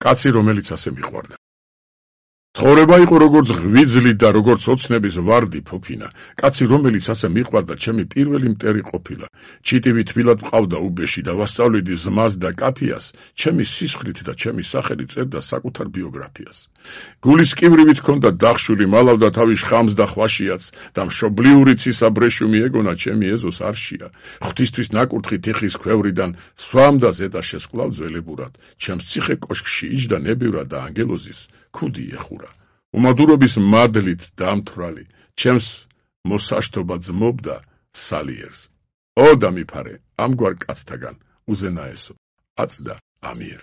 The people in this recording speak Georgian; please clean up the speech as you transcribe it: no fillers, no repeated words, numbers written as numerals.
კაცი, რომელიც ასე მიყვარდა. ცხოვრება იყო როგორც ღვიძლი და როგორც ოცნების ვარდი ფოფინა. კაცი, რომელიც ასე მიყვარდა, ჩემი პირველი მტერი ყოფილა. ჩიტივი თბილად მყავდა უბეში და ვასწავლიდი ზმას და კაფიას, ჩემი სისხლით და ჩემი სახელი წერდა საკუთარ ბიოგრაფიას. გულის კიბრივით ჰქონდა დახშული, მალავდა თავის ხამს და ხვაშიაც და მშობლიური ცისა ბრეშუმი ეგონა ჩემი ეზოს არშია. ღვთისთვის ნაკურთხი თიხის ქვევრიდან სვამდა ზედა შესკვლავ ძველებურად. ჩემს ციხე კოშკში იჯდა ნებივრად და ანგელოზის ქუდი ეხურა. უმადურობის მადლით დამთვრალი, ჩემს მოსაშთობა ძმობდა სალიერს. ო დამიფარე, ამგვარ კაცთაგან უზენაესო, აწდა ამიერ.